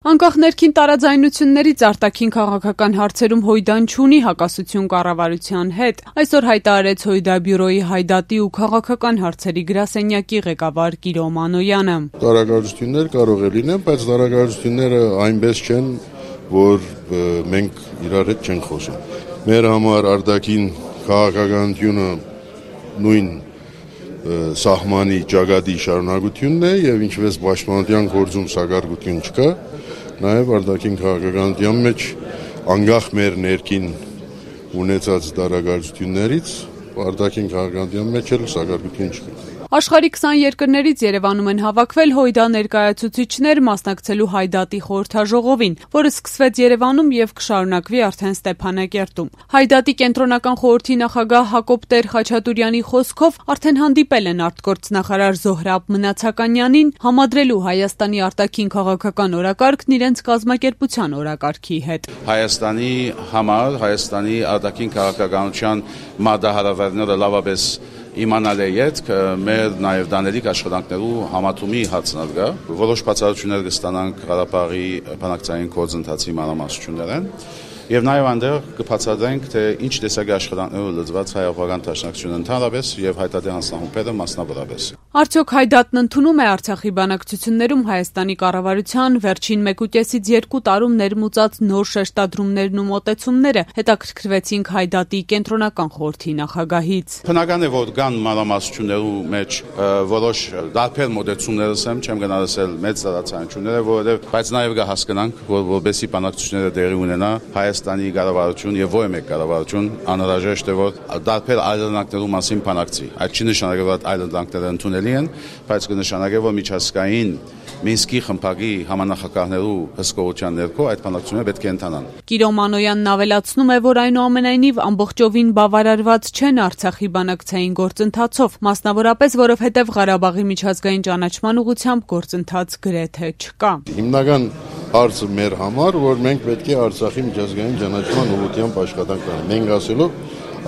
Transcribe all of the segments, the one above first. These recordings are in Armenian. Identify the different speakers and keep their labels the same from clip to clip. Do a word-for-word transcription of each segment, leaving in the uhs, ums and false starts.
Speaker 1: Անկախ ներքին տարաձայնություններից արտաքին քաղաքական հարցերում Հույդան չունի հակասություն կառավարության հետ, այսօր հայտարարեց Հույդաբյուրոյի հայդատի ու քաղաքական հարցերի գրասենյակի ղեկավար Կիրո Մանոյանը։
Speaker 2: Տարագարություններ կարող է լինեն, բայց տարագարությունները այնպես չեն, որ մենք իրար հետ չենք խոսում։ Մեր համար արտաքին քաղաքականությունը նույն սահմանի ճակատի շարունակությունն է եւ ինչպես պաշտպանության գործում սակարկություն չկա, նաեւ արտաքին քաղաքականության մեջ անկախ մեր ներքին ունեցած տարագարություններից արտաքին քաղաքականության մեջ էլ սակարկություն չկա։
Speaker 1: Աշխարհի քսան երկրներից Երևանում են հավաքվել Հույդա ներկայացուցիչներ մասնակցելու հայդատի խորհրդաժողովին, որը սկսվեց Երևանում եւ կշարունակվի արդեն Ստեփանակերտում։ Հայդատի կենտրոնական խորհրդի նախագահ Հակոբ Տեր-Խաչատուրյանի խոսքով արդեն հանդիպել են արտգործնախարար Զոհրաբ Մնացականյանին համադրելու Հայաստանի արտաքին քաղաքական օրակարգն իրենց կազմակերպության օրակարգի հետ։
Speaker 3: Հայաստանի համար Հայաստանի արտաքին քաղաքականության մարտահրավերները լավապես իմանալ է ետք, մեր նաև դանելիք աշխատանքներու համատումի հացնալ գա, որոշ բացառություններ կստանանք Ղարաբաղի բանակցային գործընթացի մանրամասնություններն եւ նաեւ այնտեղ կբացատրենք, թե ինչ տեսակի աշխատանքներով լծված հայ-աղբական դաշնակցությունը ընդհանրապես եւ հայտարարի հանձնախումբերը մասնավորապես։
Speaker 1: Արդյոք հայդատն ընդունում է Արցախի բանակցություններում Հայաստանի կառավարության վերջին մեկուկեսից երկու տարում ներմուծած նոր շեշտադրումներն ու մոտեցումները, հետաքրքրվեցինք հայդատի կենտրոնական խորհրդի նախագահից։
Speaker 3: Բնական է, որ կան մանրամասնություններու մեջ որոշ դարբեր մոտեցումներ ասեմ, չեմ գնալ ասել մեծ տարածությունները, որովհետեւ բայց նաեւ կհասկանանք, որ որբեսի բանակցությունները տեղի ունենա Հայաստանի կառավարություն եւ ոչ մեկ կառավարություն անհրաժեշտ է որ դարբեր այլընտրանքներու մասին բանակցի։ Այդ չի նշանակել որ այլընտրանքները ընդունելի են, բայց կնշանակի որ միջազգային Մինսկի խմբակի համանախագահներու հսկողության ներքո այդ բանակցությունները պետք է ընթանան։
Speaker 1: Կիրո Մանոյանն ավելացնում է, որ այնուամենայնիվ ամբողջովին բավարարված չեն Արցախի բանակցային գործընթացով, մասնավորապես որովհետև Ղարաբաղի միջազգային ճանաչման ուղղությամբ գործընթաց գրեթե չկա։
Speaker 2: Հիմնական հարցը մեր համար, որ մենք պետք է Արցախի միջազգային ճանաչման ուղղությամբ աշխատանք անենք։ Մենք ասելով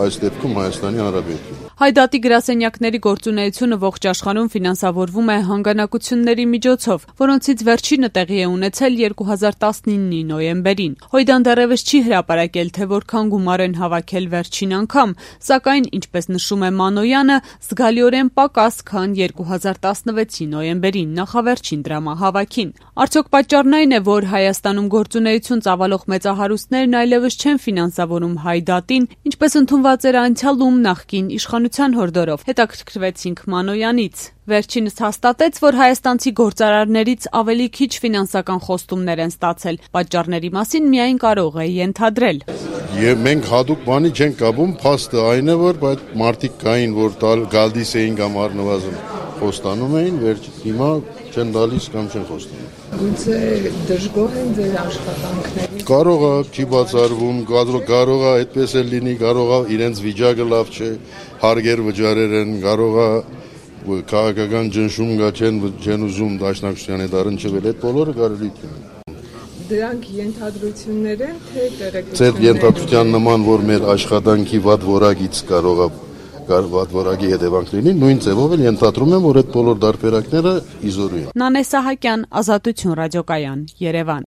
Speaker 2: այս դեպքում Հայաստանի Հանրապետություն։
Speaker 1: Հայդատի գրասենյակների գործունեությունը ողջ աշխարհում ֆինանսավորվում է հանգանակությունների միջոցով, որոնցից վերջինը տեղի է ունեցել երկու հազար տասնինի նոյեմբերին։ Հույդան դեռևս չի հրապարակել, թե որքան գումար են հավաքել վերջին անգամ, սակայն, ինչպես նշում է Մանոյանը, զգալիորեն պակաս, քան երկու հազար տասնվեցի նոյեմբերին նախավերջին դրամահավաքին։ Արդյոք պատճառն այն է, որ Հայաստանում գործունեություն ծավալող մեծահարուստներն այլևս չեն ֆինանսավորում հայդատին, ինչպես ընդունված էր անցյալում նախկին իշխանության հորդորով, հետաքրքրվեցինք Մանոյանից։ Վերջինս հաստատեց, որ հայաստանցի գործարարներից ավելի քիչ ֆինանսական խոստումներ են ստացել, պատճառների մասին միայն կարող է ենթադրել։
Speaker 2: Եվ մենք հատուկ բանի չենք կապում, փաստը այն է, որ այդ մարդիկ կային, որ գալիս էին կամ առնվազն խոստանում էին, վերջ հիմա չեն տալիս կամ չեն խոստանում։
Speaker 4: Գուցե դժգոհ են ձեր աշխատանքների։
Speaker 2: Կարող է, չի բացառվում, կարող է այդպես էլ լինի, կարող է իրենց վիճակը լավ չէ, հարգեր վճարեր են, կարող է քաղաքական ճնշում գա չեն չեն ուզում դաշնակցության հետ առնչվել, այդ բոլորը կարելի է։
Speaker 4: Դրանք ենթադրություններ են, թե տեղեկություններ։
Speaker 2: Ձեր ենթադրության նման, որ մեր աշխատանքի վատ որակից կարող է վատ որակի հետևանք լինի, նույն ձևով էլ ենթադրում եմ, որ այդ բոլոր դարբերակները իզորու են։
Speaker 1: Նանե Սահակյան, Ազատություն ռադիոկայան, Երևան։